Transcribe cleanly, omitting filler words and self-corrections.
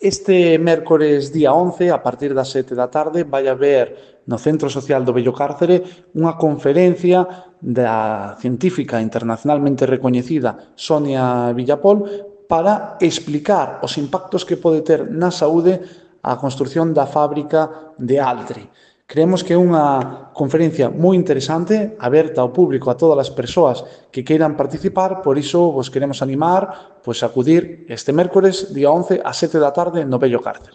Este mércores día 11, a partir das 7 da tarde, vai haber no Centro Social do Vello Cárcere unha conferencia da científica internacionalmente recoñecida Sonia Villapol para explicar os impactos que pode ter na saúde a construción da fábrica de Altri. Creemos que é unha conferencia moi interesante, aberta ao público, a todas as persoas que queiran participar, por iso vos queremos animar a acudir este mércores, día 11, a 7 da tarde, no Vello Cárcere.